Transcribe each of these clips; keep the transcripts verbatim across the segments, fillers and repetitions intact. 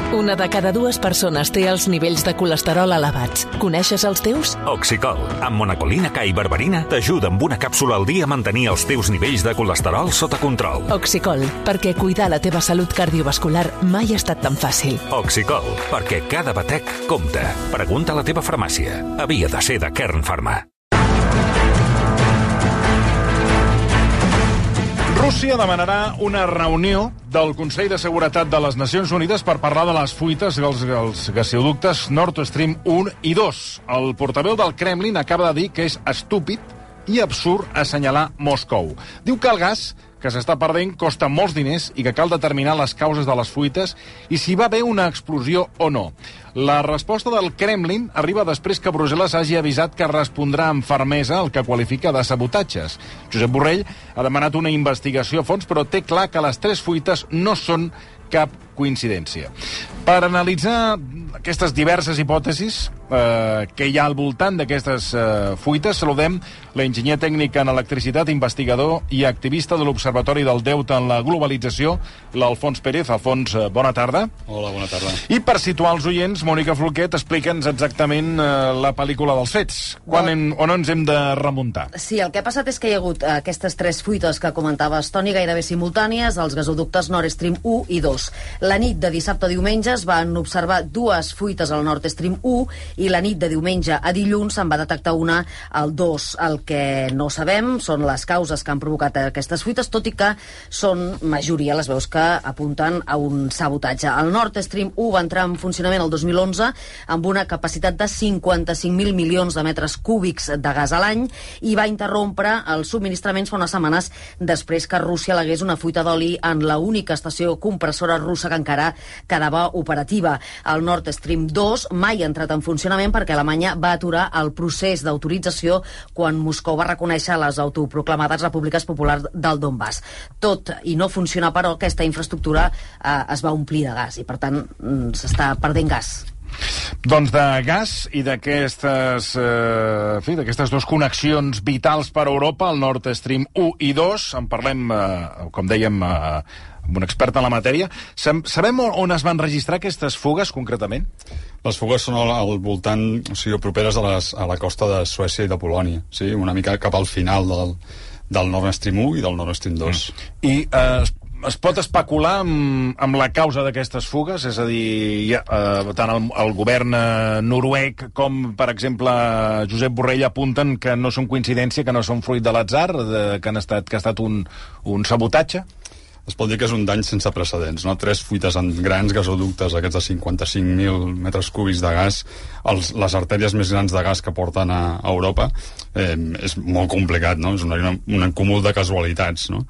Una de cada dues persones té els nivells de colesterol elevats. Coneixes els teus? Oxicol, amb monacolina K i berberina, t'ajuda amb una càpsula al dia a mantenir els teus nivells de colesterol sota control. Oxicol, perquè cuidar la teva salut cardiovascular mai ha estat tan fàcil. Oxicol, perquè cada batec compta. Pregunta a la teva farmàcia. Havia de ser de Kern Pharma. Rússia demanarà una reunió del Consell de Seguretat de les Nacions Unides per parlar de les fuites dels, dels gasoductes Nord Stream un i dos. El portaveu del Kremlin acaba de dir que és estúpid i absurd assenyalar Moscou. Diu que el gas que s'està perdent costa molts diners i que cal determinar les causes de les fuites i si va haver una explosió o no. La resposta del Kremlin arriba després que Brussel·les hagi avisat que respondrà amb fermesa el que qualifica de sabotatges. Josep Borrell ha demanat una investigació a fons, però té clar que les tres fuites no són cap coincidència. Per analitzar aquestes diverses hipòtesis eh, que hi ha al voltant d'aquestes eh, fuites, saludem l'enginyer tècnic en electricitat, investigador i activista de l'Observatori del Deute en la Globalització, l'Alfons Pérez. Alfons, eh, bona tarda. Hola, bona tarda. I per situar els oients, Mònica Folquet, explica'ns exactament eh, la pel·lícula dels fets. Quan hem, on ens hem de remuntar? Sí, el que ha passat és que hi ha hagut aquestes tres fuites que comentaves, Toni, gairebé simultànies, els gasoductes Nord Stream un i dos. La nit de dissabte a diumenge es van observar dues fuites al Nord Stream un i la nit de diumenge a dilluns se'n va detectar una al dos. El que no sabem són les causes que han provocat aquestes fuites, tot i que són majoria les veus que apunten a un sabotatge. El Nord Stream un va entrar en funcionament el dos mil onze amb una capacitat de cinquanta-cinc mil milions de metres cúbics de gas a l'any i va interrompre els subministraments fa unes setmanes després que Rússia alegués una fuita d'oli en la única estació compressora russa que encara quedava operativa. El Nord Stream dos mai ha entrat en funcionament perquè Alemanya va aturar el procés d'autorització quan Moscou va reconèixer les autoproclamades repúbliques populars del Donbass. Tot i no funcionar, però, aquesta infraestructura eh, es va omplir de gas i, per tant, s'està perdent gas. Doncs de gas i d'aquestes eh, en fi, d'aquestes dues connexions vitals per a Europa, el Nord Stream un i dos, en parlem, eh, com dèiem, eh, amb un expert en la matèria. Sabem on es van registrar aquestes fugues, concretament? Les fugues són al, al voltant, o sigui, properes a, les, a la costa de Suècia i de Polònia, sí? Una mica cap al final del, del Nord Stream un i del Nord Stream dos. Mm. I eh, es pot especular amb, amb la causa d'aquestes fugues? És a dir, ja, eh, tant el, el govern eh, noruec com, per exemple, Josep Borrell apunten que no són coincidència, que no són fruit de l'atzar, de, que, han estat, que ha estat un, un sabotatge? Es pot dir que és un dany sense precedents, no? Tres fuites en grans gasoductes, aquests de cinquanta-cinc mil metres cúbics de gas, els, les artèries més grans de gas que porten a, a Europa, eh, és molt complicat, no? És una, una, un acúmul de casualitats, no?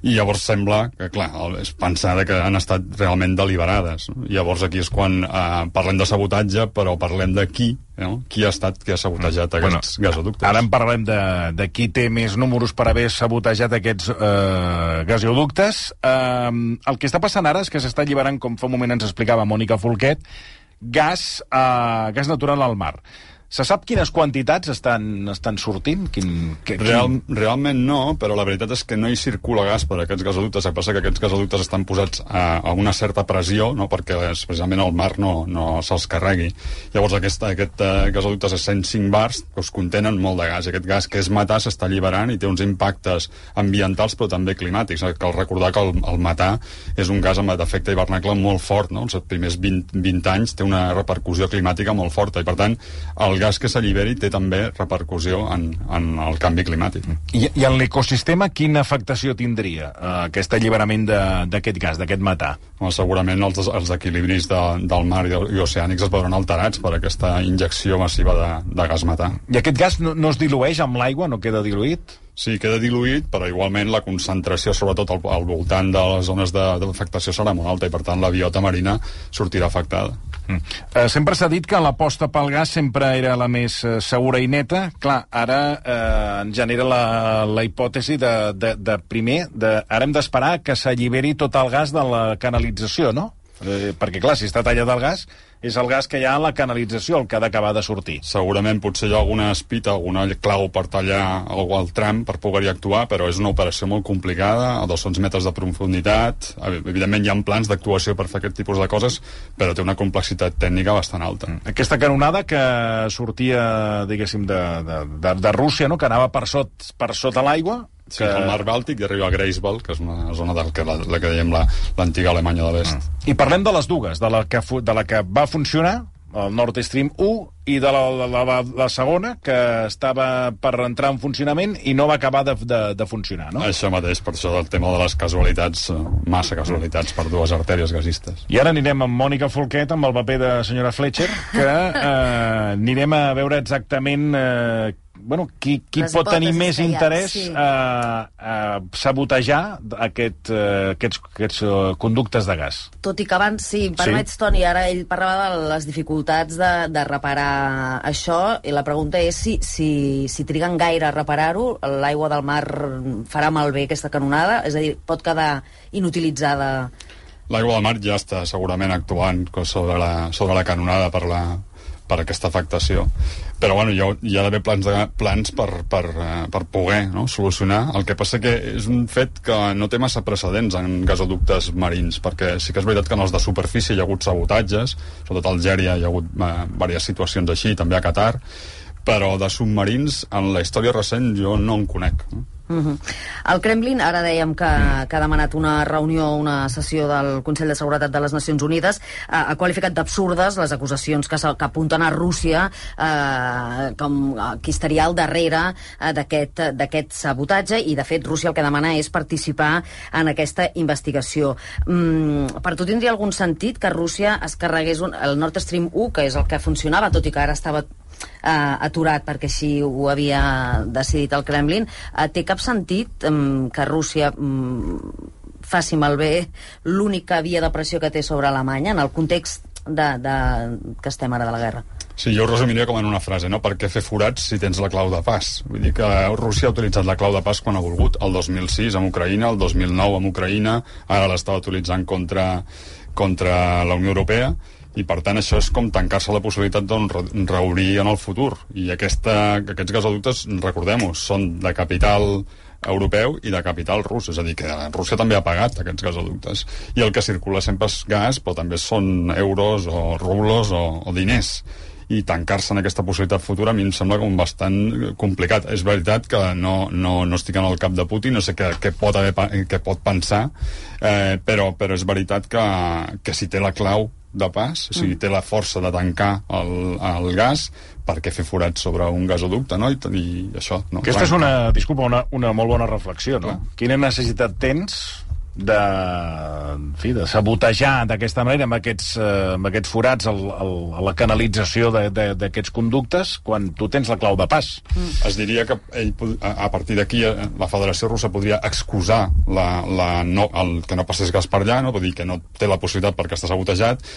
I llavors sembla que, clar, és pensar que han estat realment deliberades, no? I llavors aquí és quan eh, parlem de sabotatge, però parlem de qui, no? Qui ha estat, qui ha sabotejat aquests bueno, gasoductes. Ara en parlem de, de qui té més números per haver sabotejat aquests eh, gasoductes. Eh, el que està passant ara és que s'està alliberant, com fa un moment ens explicava Mònica Folquet, gas, eh, gas natural al mar. Se sap quines quantitats estan, estan sortint? Quin, que, quin... Real, realment no, però la veritat és que no hi circula gas per aquests gasoductes. El que passa que aquests gasoductes estan posats a, a una certa pressió, no? Perquè precisament el mar no, no se'ls carregui. Llavors aquest, aquest uh, gasoductes a cent cinc bars que us contenen molt de gas. Aquest gas que és metà s'està alliberant i té uns impactes ambientals però també climàtics. Cal recordar que el, el metà és un gas amb efecte hivernacle molt fort, no? Els primers vint, vint anys té una repercussió climàtica molt forta i per tant el gas que s'alliberi té també repercussió en, en el canvi climàtic. I, i en l'ecosistema quina afectació tindria eh, aquest alliberament d'aquest gas, d'aquest metà? Well, segurament els, els equilibris de, del mar i, i oceànics es veuran alterats per aquesta injecció massiva de, de gas metà. I aquest gas no, no es dilueix amb l'aigua, no queda diluït? Sí, queda diluït, però igualment la concentració, sobretot al, al voltant de les zones d'afectació, serà molt alta i, per tant, la biota marina sortirà afectada. Mm. Eh, sempre s'ha dit que l'aposta pel gas sempre era la més eh, segura i neta. Clar, ara eh, ens genera la, la hipòtesi de, de, de primer, de, ara hem d'esperar que s'alliberi tot el gas de la canalització, no? Eh, perquè, clar, si està tallat el gas, és el gas que hi ha a la canalització el que ha d'acabar de sortir. Segurament potser hi ha alguna espita, alguna clau per tallar el, el tram per poder-hi actuar, però és una operació molt complicada, a dos-cents metres de profunditat. Evidentment hi ha plans d'actuació per fer aquest tipus de coses, però té una complexitat tècnica bastant alta. Aquesta canonada que sortia, diguéssim, de, de, de, de Rússia, no?, que anava per, sot, per sota l'aigua, Sí, que... al mar Bàltic i arriba a Greifswald, que és una zona de la, la que dèiem l'antiga Alemanya de l'Est. Mm. I parlem de les dues, de la que, de la que va funcionar, el Nord Stream u, i de la, la, la, la segona, que estava per entrar en funcionament i no va acabar de, de, de funcionar, no? Això mateix, per això del tema de les casualitats, massa casualitats per dues artèries gasistes. I ara anirem amb Mònica Folquet, amb el paper de senyora Fletcher, que eh, anirem a veure exactament... Eh, bueno, qui, qui pot tenir més interès sí. a, a sabotejar aquest, uh, aquests, aquests uh, conductes de gas. Tot i que abans, sí, em permets, sí. Toni, ara ell parlava de les dificultats de, de reparar això, i la pregunta és si, si, si triguen gaire a reparar-ho, l'aigua del mar farà malbé aquesta canonada? És a dir, pot quedar inutilitzada? L'aigua del mar ja està segurament actuant sobre la, sobre la canonada per la per aquesta afectació. Però bueno, hi ha, hi ha d'haver plans, de, plans per, per, per poder no, solucionar. El que passa que és un fet que no té massa precedents en gasoductes marins, perquè sí que és veritat que en els de superfície hi ha hagut sabotatges, sobretot a Algèria hi ha hagut eh, diverses situacions així, també a Qatar, però de submarins en la història recent jo no en conec. No? Uh-huh. El Kremlin, ara dèiem que, que ha demanat una reunió, una sessió del Consell de Seguretat de les Nacions Unides, eh, ha qualificat d'absurdes les acusacions que, que apunten a Rússia eh, com qui estaria al darrere eh, d'aquest sabotatge, i de fet Rússia el que demana és participar en aquesta investigació. Mm, per tu tindria algun sentit que Rússia es carregués un, el Nord Stream u, que és el que funcionava, tot i que ara estava Uh, aturat perquè així ho havia decidit el Kremlin? Uh, té cap sentit um, que Rússia um, faci malbé l'única via de pressió que té sobre Alemanya en el context de, de, que estem ara de la guerra? Sí, jo ho resumiria com en una frase, no? Per què fer forats si tens la clau de pas? Vull dir que Rússia ha utilitzat la clau de pas quan ha volgut, el dos mil sis amb Ucraïna, el dos mil nou amb Ucraïna, ara l'estava utilitzant contra, contra la Unió Europea, i per tant això és com tancar-se la possibilitat d'un reobrir en el futur, i aquesta, aquests gasoductes, recordem-ho, són de capital europeu i de capital rus, és a dir, que Rússia també ha pagat aquests gasoductes, i el que circula sempre és gas, però també són euros o rublos o, o diners, i tancar-se en aquesta possibilitat futura a mi em sembla com bastant complicat. És veritat que no, no, no estic en el cap de Putin, no sé què, què, pot, haver, què pot pensar, eh, però, però és veritat que, que si té la clau de pas, o sigui, té la força de tancar el, el gas, per què fer forats sobre un gasoducte, no? I, i això, no? Aquesta és una, disculpa, una, una molt bona reflexió, no? Clar. Quina necessitat tens de, en fi, de sabotejar d'aquesta manera amb aquests, eh, amb aquests forats el, el, a la canalització d'aquests conductes quan tu tens la clau de pas? Mm. Es diria que ell, a partir d'aquí la Federació Russa podria excusar la, la no, el que no passés gas per allà, no? Vull dir que no té la possibilitat perquè està sabotejat,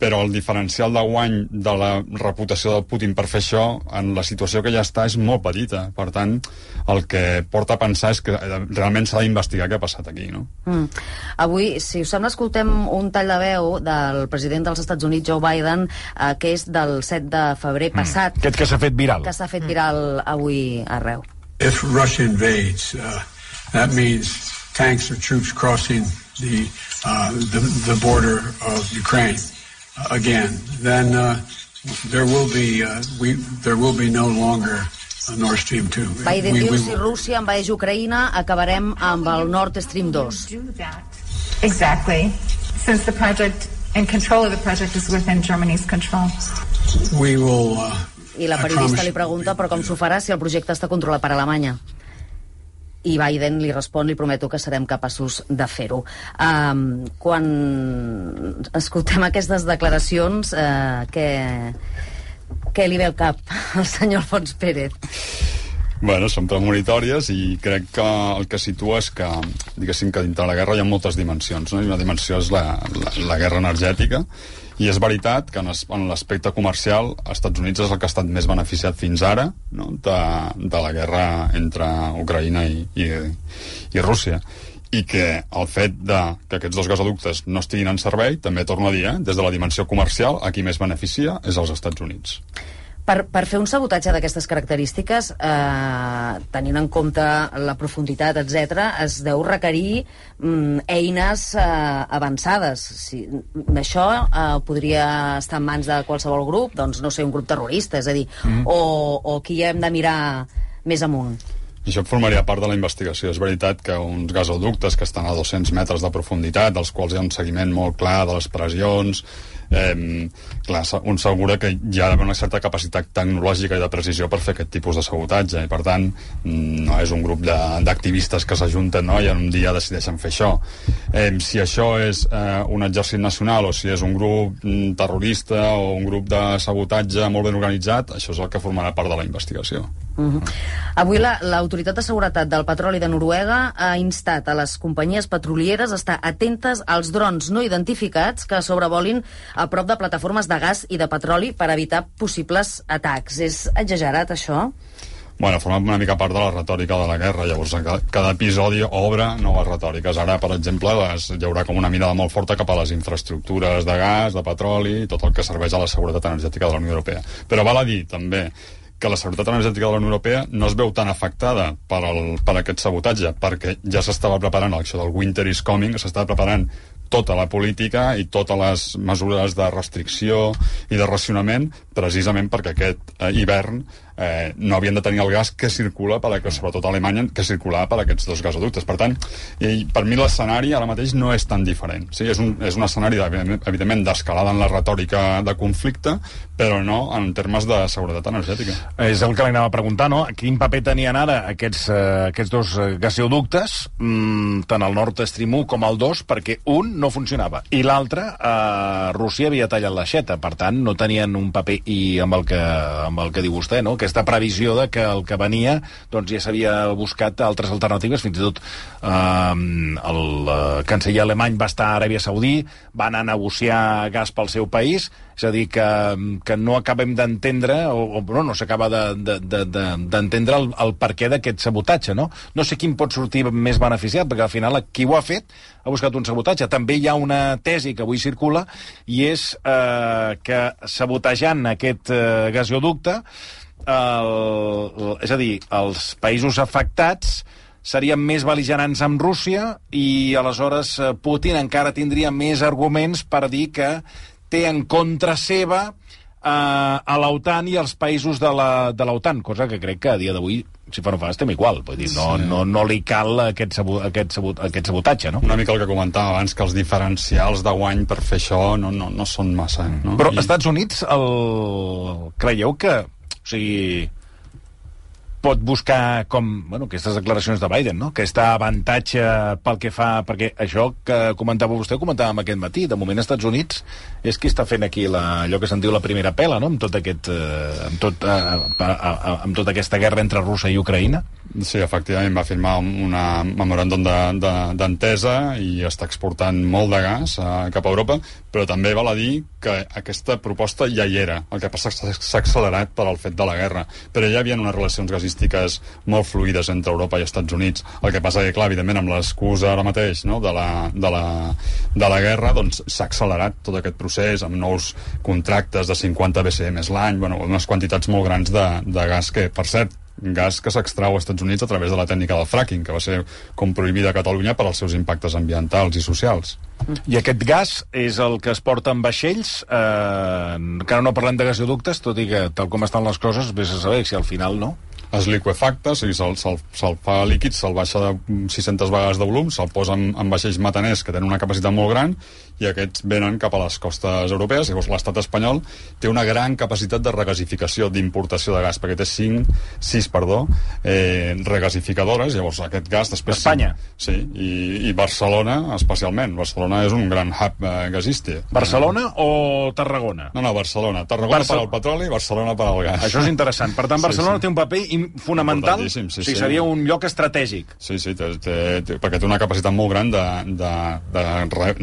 però el diferencial de guany de la reputació del Putin per fer això en la situació que ja està és molt petita. Per tant, el que porta a pensar és que realment s'ha d'investigar què ha passat aquí, no? Mm. Avui, si us sembla, escoltem un tall de veu del president dels Estats Units, Joe Biden, eh, que és del set de febrer passat. Mm. Aquest que s'ha fet viral. Que s'ha fet viral avui arreu. If Russia invades, uh, that means tanks or troops crossing the, uh, the, the border of Ukraine. Again, then uh, there will be uh, we there will be no longer a Nord Stream two. Biden diu, si Rússia envaeix Ucraïna, acabarem amb el Nord Stream dos. Exactly, since the project and control of the project is within Germany's control. We will. Uh, I la periodista li pregunta, però com s'ho farà si el projecte està controlat per Alemanya? I Biden li respon, li prometo que serem capaços de fer-ho. Um, quan escoltem aquestes declaracions, uh, què, què li ve al cap al senyor Alfons Pérez? Bueno, són premonitòries i crec que el que situa és que, diguéssim, que dintre la guerra hi ha moltes dimensions, no? I una dimensió és la, la, la guerra energètica, i és veritat que en l'aspecte comercial els Estats Units és el que ha estat més beneficiat fins ara, no? de, de la guerra entre Ucraïna i, i, i Rússia. i que el fet de que aquests dos gasoductes no estiguin en servei, també torno a dir, eh, des de la dimensió comercial, a qui més beneficia és als Estats Units. Per, per fer un sabotatge d'aquestes característiques, eh, tenint en compte la profunditat, etcètera, es deu requerir mm, eines eh, avançades. Si, això eh, podria estar en mans de qualsevol grup, doncs no sé, un grup terrorista, és a dir, mm. o, o qui hem de mirar més amunt. Això formaria part de la investigació. És veritat que uns gasoductes que estan a dos-cents metres de profunditat, dels quals hi ha un seguiment molt clar de les pressions, eh, clar, un segura que hi ha d'haver una certa capacitat tecnològica i de precisió per fer aquest tipus de sabotatge, i per tant no és un grup d'activistes que s'ajunten, no?, i en un dia decideixen fer això. Eh, si això és eh, un exèrcit nacional o si és un grup mm, terrorista o un grup de sabotatge molt ben organitzat, això és el que formarà part de la investigació. Uh-huh. Avui l'Autoritat de Seguretat del Petroli de Noruega ha instat a les companyies petrolieres a estar atentes als drons no identificats que sobrevolin a prop de plataformes de gas i de petroli per evitar possibles atacs. És exagerat, això? Bueno, forma una mica part de la retòrica de la guerra. Llavors, cada, cada episodi obre noves retòriques. Ara, per exemple, les, hi haurà com una mirada molt forta cap a les infraestructures de gas, de petroli, tot el que serveix a la seguretat energètica de la Unió Europea. Però val a dir, també, que la seguretat energètica de la Unió Europea no es veu tan afectada per, el, per aquest sabotatge, perquè ja s'estava preparant això del Winter is Coming, s'estava preparant tota la política i totes les mesures de restricció i de racionament, precisament perquè aquest eh, hivern eh, no havien de tenir el gas que circula, per, sobretot a Alemanya, que circulava per aquests dos gasoductes. Per tant, i per mi l'escenari ara mateix no és tan diferent. Sí, és, un, és un escenari, evidentment, d'escalada en la retòrica de conflicte, però no en termes de seguretat energètica. És el que li anava a preguntar, no? Quin paper tenien ara aquests, eh, aquests dos gasoductes, mmm, tant el Nord Stream u com el dos, perquè un no funcionava, i l'altre, eh, Rússia havia tallat l'aixeta, per tant, no tenien un paper, i amb el que, amb el que diu vostè, no?, aquesta previsió de que el que venia, doncs ja s'havia buscat altres alternatives, fins i tot eh, el eh, canceller alemany va estar a Aràbia Saudí, va anar a negociar gas pel seu país, és a dir, que, que no acabem d'entendre, o, o no, no s'acaba d'entendre de, de, de, el, el perquè d'aquest sabotatge, no? No sé quin pot sortir més beneficiat, perquè al final qui ho ha fet ha buscat un sabotatge. També hi ha una tesi que avui circula, i és eh, que sabotejant aquest eh, gasoducte, el, el, és a dir, els països afectats serien més bel·ligerants amb Rússia, i aleshores Putin encara tindria més arguments per dir que té en contra seva eh, a l'OTAN i als països de la, de l'OTAN, cosa que crec que a dia d'avui, si fa no fa, estem igual. Vull dir, no, sí. no, no li cal aquest, sabot, aquest, sabot, aquest sabotatge, no? Una mica el que comentava abans, que els diferencials de guany per fer això no, no, no són massa. No? Però I... Estats Units, el... creieu que... O sigui, pot buscar com, bueno, aquestes declaracions de Biden, no?, aquesta avantatge pel que fa, perquè això que comentava vostè, ho comentàvem aquest matí, de moment als Estats Units és qui està fent aquí la, allò que se'n diu la primera pela, no?, amb tot aquest eh, amb, tot, eh, amb tota aquesta guerra entre Rússia i Ucraïna. Sí, efectivament, va firmar una memoràndum d'entesa de, de, i està exportant molt de gas a, cap a Europa, però també val a dir que aquesta proposta ja hi era. El que passa és que s'ha accelerat per al fet de la guerra, però ja hi havia unes relacions gasístiques molt fluides entre Europa i Estats Units. El que passa que, clar, evidentment, amb l'excusa ara mateix, no?, de, la, de, la, de la guerra, doncs s'ha accelerat tot aquest procés amb nous contractes de cinquanta B C M l'any, bueno, unes quantitats molt grans de, de gas que, per cert, gas que s'extrau als Estats Units a través de la tècnica del fracking, que va ser com prohibida a Catalunya per als seus impactes ambientals i socials. I aquest gas és el que es porta en vaixells, eh, encara no parlem de gasoductes, tot i que, tal com estan les coses, vés a saber si al final no. Es liquefacta, o sigui, se'l se se fa líquid, se'l baixa de sis-centes vegades de volum, se'l posa en, en vaixells metaners que tenen una capacitat molt gran, i aquests venen cap a les costes europees. Llavors l'estat espanyol té una gran capacitat de regasificació, d'importació de gas, perquè té cinc, sis, perdó, eh, regasificadores. Llavors aquest gas després... Espanya? Sí, i, i Barcelona especialment. Barcelona és un gran hub eh, gasístic. Barcelona o Tarragona? No, no, Barcelona. Tarragona Barcel... per al petroli, Barcelona per al gas. Això és interessant. Per tant, Barcelona sí, sí. té un paper fonamental, sí, sí, o sigui, seria un lloc estratègic. Sí, sí, té, té, té, perquè té una capacitat molt gran de, de, de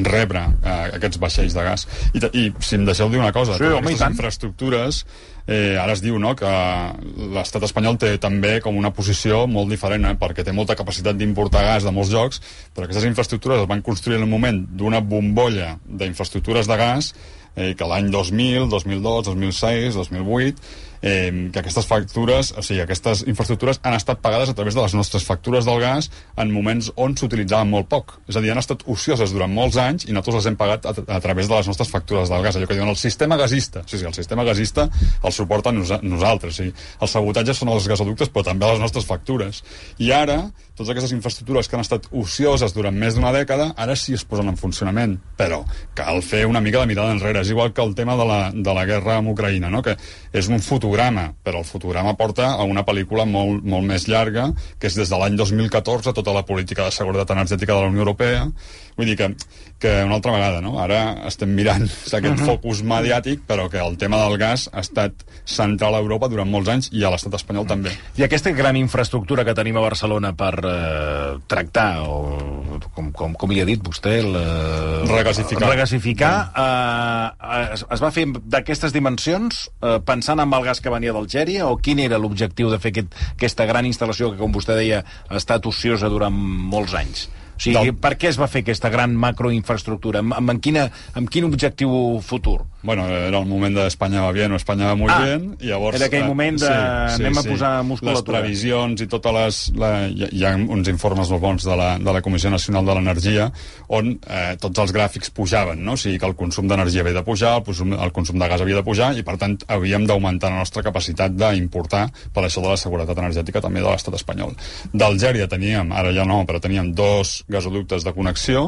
rebre eh, aquests vaixells de gas. I, I si em deixeu dir una cosa, sí, totes home, aquestes infraestructures, eh, ara es diu, no?, que l'estat espanyol té també com una posició molt diferent, eh, perquè té molta capacitat d'importar gas de molts llocs, però aquestes infraestructures es van construir en un moment d'una bombolla d'infraestructures de gas, eh, que l'any dos mil, dos mil dos, dos mil sis, dos mil vuit, eh, que aquestes factures, o sigui, aquestes infraestructures han estat pagades a través de les nostres factures del gas en moments on s'utilitzaven molt poc. És a dir, han estat ocioses durant molts anys i nosaltres les hem pagat a, a través de les nostres factures del gas. Allò que diuen el sistema gasista. Sí, sí, el sistema gasista el suporta nos nosaltres. Sí. Els sabotatges són els gasoductes, però també les nostres factures. I ara, totes aquestes infraestructures que han estat ocioses durant més d'una dècada, ara sí es posen en funcionament. Però cal fer una mica de mirada enrere. És igual que el tema de la, de la guerra amb Ucraïna, no?, que és un fotograma, però el fotograma porta a una pel·lícula molt, molt més llarga, que és des de l'any dos mil catorze, tota la política de seguretat energètica de la Unió Europea. Vull dir que, que una altra vegada, no?, ara estem mirant aquest uh-huh. focus mediàtic, però que el tema del gas ha estat central a Europa durant molts anys i a l'estat espanyol uh-huh. també. I aquesta gran infraestructura que tenim a Barcelona per eh, tractar, o com, com, com hi ha dit vostè, la... regasificar, regasificar eh, es, es va fer d'aquestes dimensions eh, pensant en el gas que venia d'Algèria, o quin era l'objectiu de fer aquest, aquesta gran instal·lació que, com vostè deia, ha estat ociosa durant molts anys? O sigui, del... per què es va fer aquesta gran macroinfraestructura? Amb, amb, quina, amb quin objectiu futur? Bueno, era el moment de Espanya va bien o Espanya va muy ah, bien, i llavors... Era aquell moment de... Sí, sí, anem sí. a posar musculatura. Les previsions i totes les... La, hi, hi ha uns informes molt bons de la, de la Comissió Nacional de l'Energia on eh, tots els gràfics pujaven, no? O sigui que el consum d'energia havia de pujar, el consum, el consum de gas havia de pujar, i per tant havíem d'augmentar la nostra capacitat d'importar per això de la seguretat energètica també de l'estat espanyol. D'Algèria teníem, ara ja no, però teníem dos gasoductes de connexió,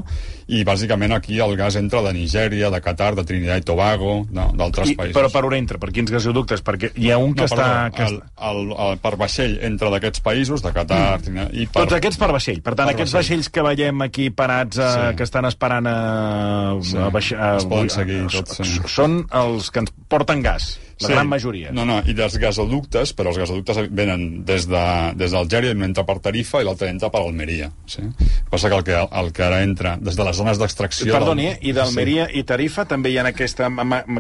i bàsicament aquí el gas entra de Nigèria, de Qatar, de Trinidad i Tobago, d'altres països. Però per on entra? Per quins gasoductes? Perquè hi ha un que no, està... Perdó, que el, el, el, per vaixell entra d'aquests països, de Qatar, mm. Trinidad... I per... Tots aquests per vaixell. Per tant, per aquests vaixell. vaixells que veiem aquí parats, a, sí. que estan esperant a... Sí. a, baix, a es poden seguir tots. Sí. Són els que ens porten gas. La sí. gran majoria. No, no, i dels gasoductes, però els gasoductes venen des d'Algèria, de, un entra per Tarifa i l'altre entra per Almeria. Sí? Passa que el, que el que ara entra des de les zones d'extracció... Perdoni, del... eh? I d'Almeria sí. i Tarifa també hi ha aquesta,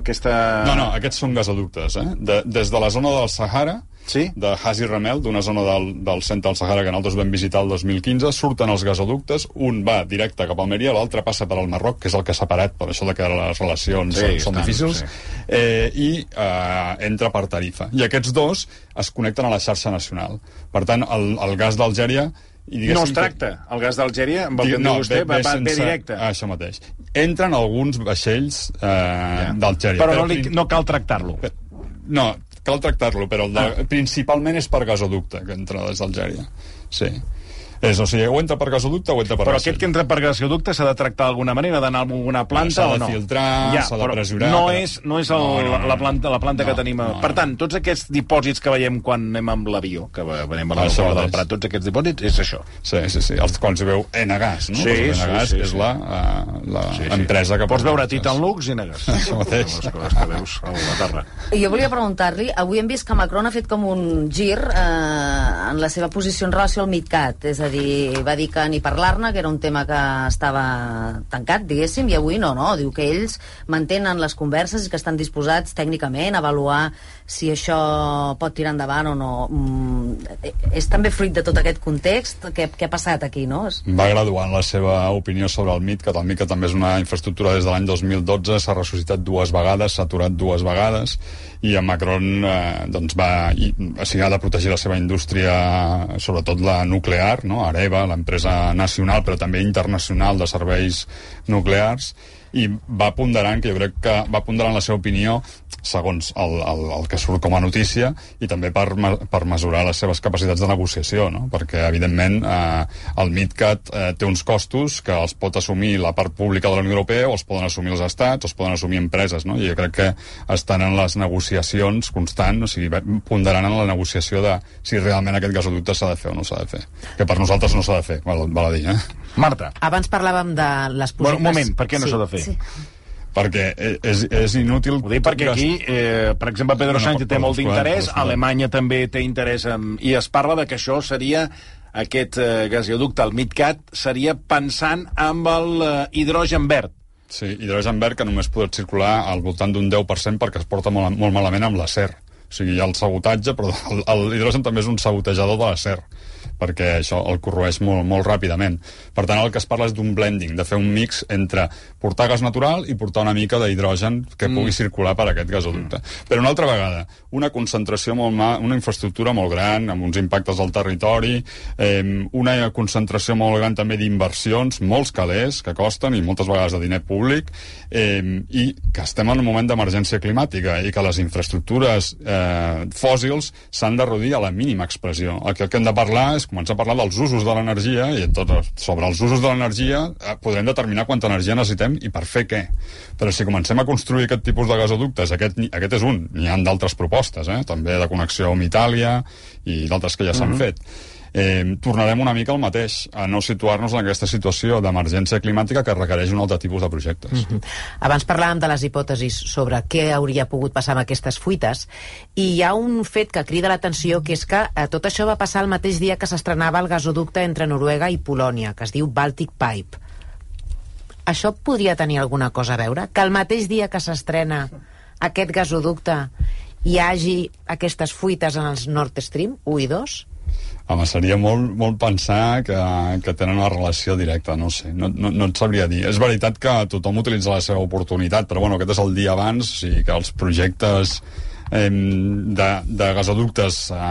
aquesta... No, no, aquests són gasoductes. Eh? De, des de la zona del Sahara, sí? de Hasi Remel, d'una zona del, del centre del Sahara que nosaltres vam visitar el dos mil quinze, surten els gasoductes, un va directe cap a Almeria, l'altre passa per al Marroc, que és el que ha separat, per això de que les relacions sí, són, són tant, difícils, sí. eh, i eh, entra per Tarifa. I aquests dos es connecten a la xarxa nacional. Per tant, el, el gas d'Algèria... No es tracta. El gas d'Algèria, amb el que no, diu vostè, va, va bé directe. Ah, això mateix. Entren alguns vaixells eh, ja. d'Algèria. Però, però no, li, no cal tractar-lo. No, cal tractar-lo, però el de, ah. principalment és per gasoducte, que entra des d'Algèria. Sí. És, o sigui, o entra per gasoducte o entra per Però vaixell. aquest que entra per gasoducte s'ha de tractar d'alguna manera, d'anar a alguna planta o no? S'ha de filtrar, ja, s'ha de pressurar... No és, no és el, no, no, no, la planta, la planta no, que tenim... A... No, no. Per tant, tots aquests dipòsits que veiem quan anem amb l'avió, que veiem a l'aeroport del Prat, tots aquests dipòsits, és això. Sí, sí, sí. Els quals hi veu Enagas, no? Sí, Enagas sí, sí, és sí. la, la sí, sí. empresa que... Pots veure Titan Lux i Enagas. Això mateix. Les coses que veus a la terra. Jo volia preguntar-li, avui hem vist que Macron ha fet com un gir eh, en la seva posició en relació al MidCat, és a dir, va dir que ni parlar-ne, que era un tema que estava tancat, diguéssim, i avui no, no, diu que ells mantenen les converses i que estan disposats tècnicament a avaluar si això pot tirar endavant o no. Mm, és també fruit de tot aquest context que, que ha passat aquí, no? Va graduant la seva opinió sobre el MidCat. El MidCat també és una infraestructura des de l'any dos mil dotze, s'ha ressuscitat dues vegades, s'ha aturat dues vegades, i en Macron eh, doncs va, i, o sigui, ha de protegir la seva indústria, sobretot la nuclear, no? Areva, l'empresa nacional però també internacional de serveis nuclears, i va ponderant, que jo crec que va ponderant la seva opinió segons el, el, el que surt com a notícia, i també per, per mesurar les seves capacitats de negociació, no? Perquè evidentment eh, el MidCat eh, té uns costos que els pot assumir la part pública de la Unió Europea, o els poden assumir els estats, o els poden assumir empreses, no? I jo crec que estan en les negociacions constants, o sigui, ponderant en la negociació de si realment aquest gasoducte s'ha de fer o no s'ha de fer, que per nosaltres no s'ha de fer, val, val a dir, eh? Marta. Abans parlàvem de les projectes... Bueno, un moment, per què no sí, s'ha de fer? Sí. Perquè és, és inútil... Ho dic perquè aquí, eh, per exemple, Pedro no, Sánchez té molt d'interès, Alemanya també té interès, en, i es parla de que això seria, aquest eh, gasoducte, el MidCat, seria pensant amb el eh, hidrogen verd. Sí, hidrogen verd que només pot circular al voltant d'un deu per cent perquè es porta molt, molt malament amb l'acer. O sigui, hi ha el sabotatge, però el, el hidrogen també és un sabotejador de l'acer, perquè això el corroeix molt, molt ràpidament. Per tant, el que es parla és d'un blending, de fer un mix entre portar gas natural i portar una mica d'hidrogen que mm. pugui circular per aquest gasoducte. Mm. Però una altra vegada, una concentració molt ma... una infraestructura molt gran, amb uns impactes al territori, eh, una concentració molt gran també d'inversions, molts calés que costen i moltes vegades de diner públic, eh, i que estem en un moment d'emergència climàtica i que les infraestructures eh, fòssils s'han de reduir a la mínima expressió. El que, el que hem de parlar és començar a parlar dels usos de l'energia i tot, sobre els usos de l'energia eh, podrem determinar quanta energia necessitem i per fer què. Però si comencem a construir aquest tipus de gasoductes, aquest, aquest és un, n'hi ha d'altres propostes, eh? també de connexió amb Itàlia i d'altres que ja s'han uh-huh. fet. Eh, tornarem una mica al mateix, a no situar-nos en aquesta situació d'emergència climàtica que requereix un altre tipus de projectes. Mm-hmm. Abans parlàvem de les hipòtesis sobre què hauria pogut passar amb aquestes fuites, i hi ha un fet que crida l'atenció, que és que eh, tot això va passar el mateix dia que s'estrenava el gasoducte entre Noruega i Polònia, que es diu Baltic Pipe. Això podria tenir alguna cosa a veure? Que el mateix dia que s'estrena aquest gasoducte hi hagi aquestes fuites en els Nord Stream u i dos? Home, seria molt, molt pensar que, que tenen una relació directa, no sé, no, no, no et sabria dir. És veritat que tothom utilitza la seva oportunitat, però bueno, aquest és el dia abans, o sigui que els projectes eh, de, de gasoductes eh,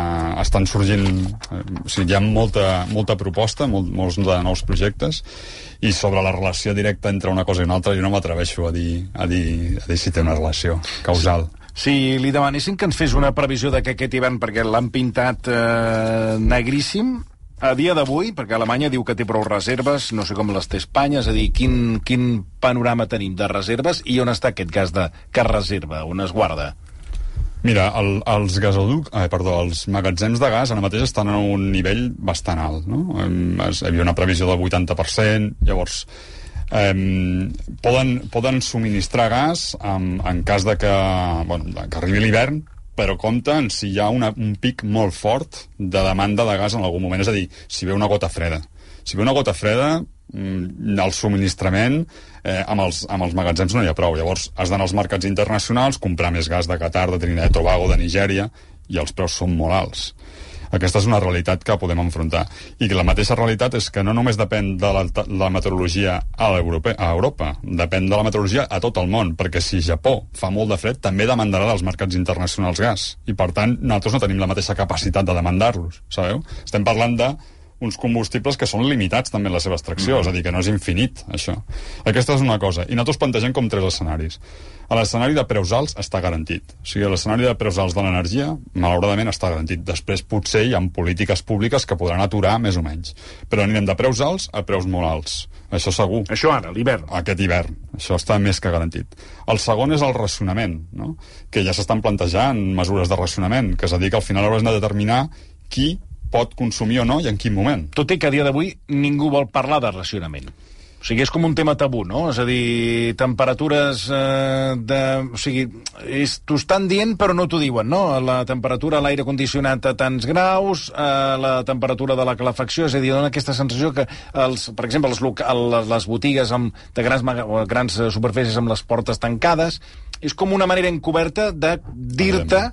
estan sorgint, eh, o sigui, hi ha molta, molta proposta, molt, molts de nous projectes, i sobre la relació directa entre una cosa i una altra jo no m'atreveixo a dir, a dir, a dir si té una relació causal. Si li demanessin que ens fes una previsió de que aquest hivern, perquè l'han pintat eh, negríssim, a dia d'avui, perquè Alemanya diu que té prou reserves, no sé com les té Espanya, és a dir, quin, quin panorama tenim de reserves i on està aquest gas de, que es reserva, on es guarda? Mira, el, els gasoduc, eh, perdó, els magatzems de gas ara mateix estan a un nivell bastant alt, no? Hi havia una previsió del vuitanta per cent, llavors Um, poden, poden subministrar gas en, en cas de que, bueno, que arribi l'hivern, però compten si hi ha una, un pic molt fort de demanda de gas en algun moment, és a dir, si ve una gota freda. Si ve una gota freda, el subministrament eh, amb, els, amb els magatzems no hi ha prou. Llavors has d'anar als mercats internacionals, comprar més gas de Qatar, de Trinidad i Tobago, de Nigèria, i els preus són molt alts. Aquesta és una realitat que podem enfrontar. I que la mateixa realitat és que no només depèn de la, la meteorologia a, a Europa, depèn de la meteorologia a tot el món, perquè si Japó fa molt de fred, també demandarà dels mercats internacionals gas. I, per tant, nosaltres no tenim la mateixa capacitat de demandar-los, sabeu? Estem parlant de uns combustibles que són limitats també en la seva extracció, mm. és a dir, que no és infinit, això. Aquesta és una cosa. I nosaltres plantegem com tres escenaris. A l'escenari de preus alts està garantit. O sigui, l'escenari de preus alts de l'energia, malauradament, està garantit. Després, potser, hi ha polítiques públiques que podran aturar més o menys. Però anirem de preus alts a preus molt alts. Això segur. Això ara, l'hivern. Aquest hivern. Això està més que garantit. El segon és el racionament, no? Que ja s'estan plantejant mesures de racionament, que és a dir, que al final hauràs de determinar qui pot consumir o no i en quin moment. Tot i que a dia d'avui ningú vol parlar de racionament. O sigui, és com un tema tabú, no? És a dir, temperatures eh, de... O sigui, és, t'ho estan dient però no t'ho diuen, no? La temperatura a l'aire condicionat a tants graus, eh, la temperatura de la calefacció, és a dir, dona aquesta sensació que, els, per exemple, les, loca, les botigues amb, de grans, grans superfícies amb les portes tancades, és com una manera encoberta de dir-te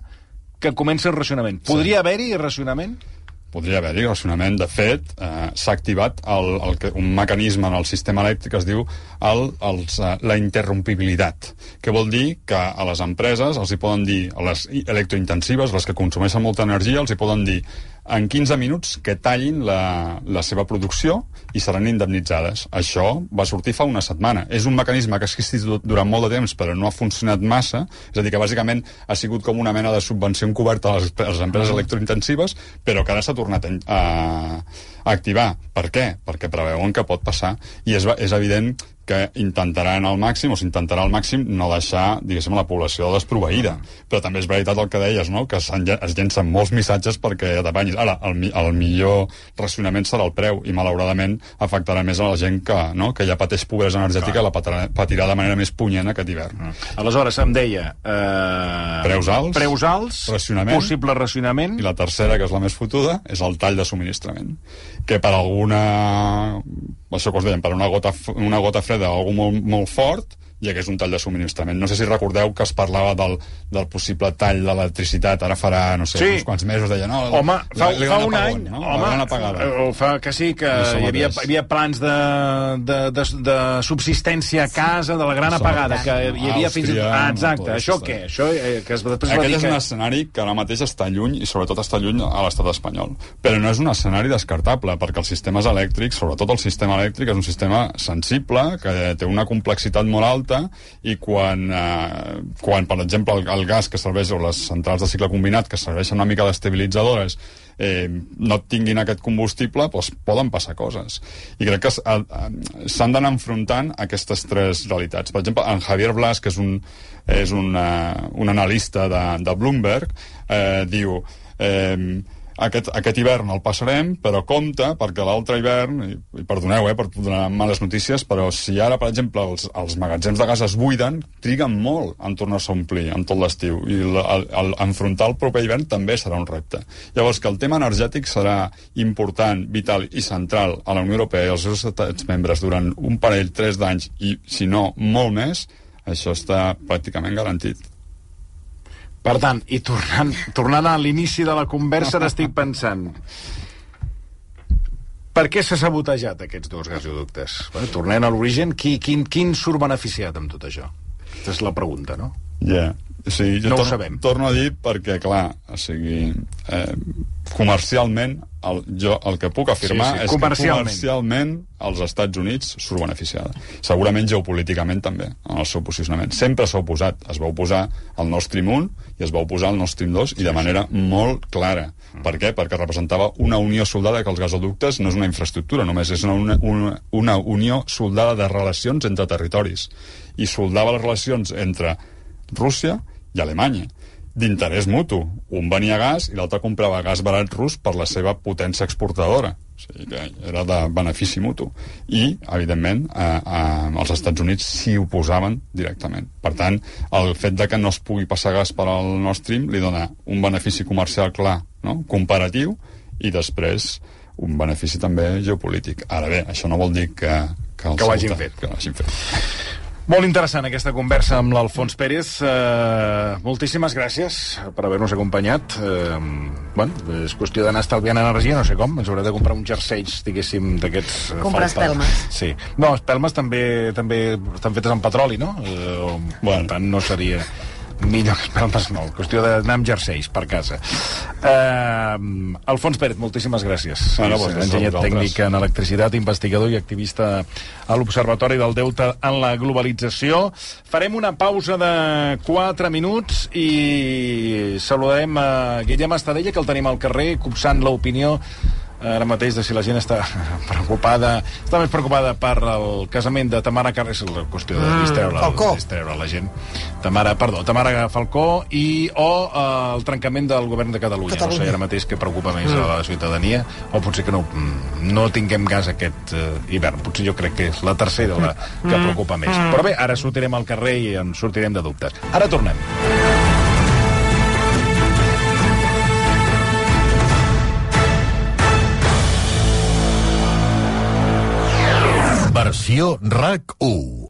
que comença el racionament. Podria sí. haver-hi racionament? Podria haver-hi racionament. De fet, eh, s'ha activat el, el, un mecanisme en el sistema elèctric que es diu el, els, eh, la interrompibilitat, que vol dir que a les empreses els hi poden dir, a les electrointensives, les que consumeixen molta energia, els hi poden dir en quinze minuts que tallin la, la seva producció i seran indemnitzades. Això va sortir fa una setmana. És un mecanisme que ha existit durant molt de temps però no ha funcionat massa, és a dir, que bàsicament ha sigut com una mena de subvenció encoberta a les, a les empreses electrointensives, però que ara s'ha tornat a, a, a activar. Per què? Perquè preveuen que pot passar i és, és evident que intentaran al màxim, o s'intentarà al màxim no deixar, diguéssim, la població desproveïda. Però també és veritat el que deies, no? Que es llencen molts missatges perquè t'apanyis. Ara, el, el millor racionament serà el preu i malauradament afectarà més a la gent que, no? que ja pateix pobresa energètica, la patirà, patirà de manera més punyent aquest hivern. Aleshores, em deia... Eh... Preus alts, preus alts, racionament, possible racionament... I la tercera, que és la més fotuda, és el tall de subministrament. Que per alguna... Això que us dèiem, per una gota, una gota freda succeir algú molt, molt fort, hi hagués un tall de subministrament. No sé si recordeu que es parlava del, del possible tall de l'electricitat, ara farà, no sé, sí. uns quants mesos, deia, no... Home, fa, fa un apagón, any, no? home, o fa que sí, que hi havia, hi havia plans de, de, de, de subsistència a casa, de la gran apagada, que hi havia fins i tot... Ah, exacte, això què? Això, eh, que es, després Aquest va dir és que... un escenari que ara mateix està lluny, i sobretot està lluny a l'estat espanyol. Però no és un escenari descartable, perquè els sistemes elèctrics, sobretot el sistema elèctric, és un sistema sensible, que té una complexitat molt alta, i quan, eh, quan per exemple, el, el gas que serveix, o les centrals de cicle combinat, que serveixen una mica d'estabilitzadores, eh, no tinguin aquest combustible, doncs poden passar coses. I crec que s'han d'anar enfrontant aquestes tres realitats. Per exemple, en Javier Blas, que és un, és un, uh, un analista de, de Bloomberg, eh, diu... Eh, Aquest, aquest hivern el passarem, però compte, perquè l'altre hivern, i, i perdoneu eh, per donar males notícies, però si ara, per exemple, els, els magatzems de gas es buiden, triguen molt en tornar-se a omplir en tot l'estiu, i el, el, el, enfrontar el proper hivern també serà un repte. Llavors, que el tema energètic serà important, vital i central a la Unió Europea i als seus estats membres durant un parell, tres d'anys, i si no, molt més, això està pràcticament garantit. Per tant, i tornant, tornant a l'inici de la conversa, ara estic pensant... Per què s'ha sabotejat aquests dos gasoductes? Bueno, tornem a l'origen, qui, quin, quin surt beneficiat amb tot això? Aquesta és la pregunta, no? Ja, yeah. sí, jo no torno, ho sabem. Torno a dir perquè, clar, o sigui, eh, comercialment, el, jo el que puc afirmar sí, sí, és comercialment. que comercialment els Estats Units surt beneficiada. Segurament geopolíticament també, en el seu posicionament. Sempre s'ha oposat. Es va oposar al Nord Stream un i es va oposar al Nord Stream dos i de manera molt clara. Mm. Per què? Perquè representava una unió soldada, que els gasoductes no és una infraestructura, només és una, una, una unió soldada de relacions entre territoris. I soldava les relacions entre Rússia i Alemanya, d'interès mutu. Un venia gas i l'altre comprava gas barat rus per la seva potència exportadora. O sigui que era de benefici mutu. I, evidentment, eh, eh, els Estats Units s'hi oposaven directament. Per tant, el fet de que no es pugui passar gas per al Nord Stream li dona un benefici comercial clar, no? Comparatiu, i després un benefici també geopolític. Ara bé, això no vol dir que, que, que ho hagin fet. Que ho hagin fet. Molt interessant aquesta conversa amb l'Alfons Pérez. Uh, moltíssimes gràcies per haver-nos acompanyat. Uh, bueno, és qüestió d'anar estalviant energia, no sé com. Ens haurà de comprar un jerseis, diguéssim, d'aquests... Comprar espelmes. Sí. No, espelmes també també estan fetes amb petroli, no? Uh, bueno. Per tant, no seria... millor que espelmes no, qüestió d'anar amb jerseis per casa. Uh, Alfons Pérez, moltíssimes gràcies. Bueno, és enginyer tècnic en electricitat, investigador i activista a l'Observatori del Deute en la Globalització. Farem una pausa de quatre minuts i saludarem a Guillem Estadella, que el tenim al carrer copsant l'opinió ara mateix de si la gent està preocupada, està més preocupada per el casament de Tamara Carré, és la qüestió de distreure, mm, distreure la gent. Tamara, perdó, Tamara Falcó i o eh, el trencament del govern de Catalunya. Catalunya. No sé ara mateix què preocupa més mm. a la ciutadania, o potser que no, no tinguem gas aquest eh, hivern. Potser jo crec que és la tercera la que mm. preocupa més. Mm. Però bé, ara sortirem al carrer i en sortirem de dubtes. Ara tornem. Versió R A C u.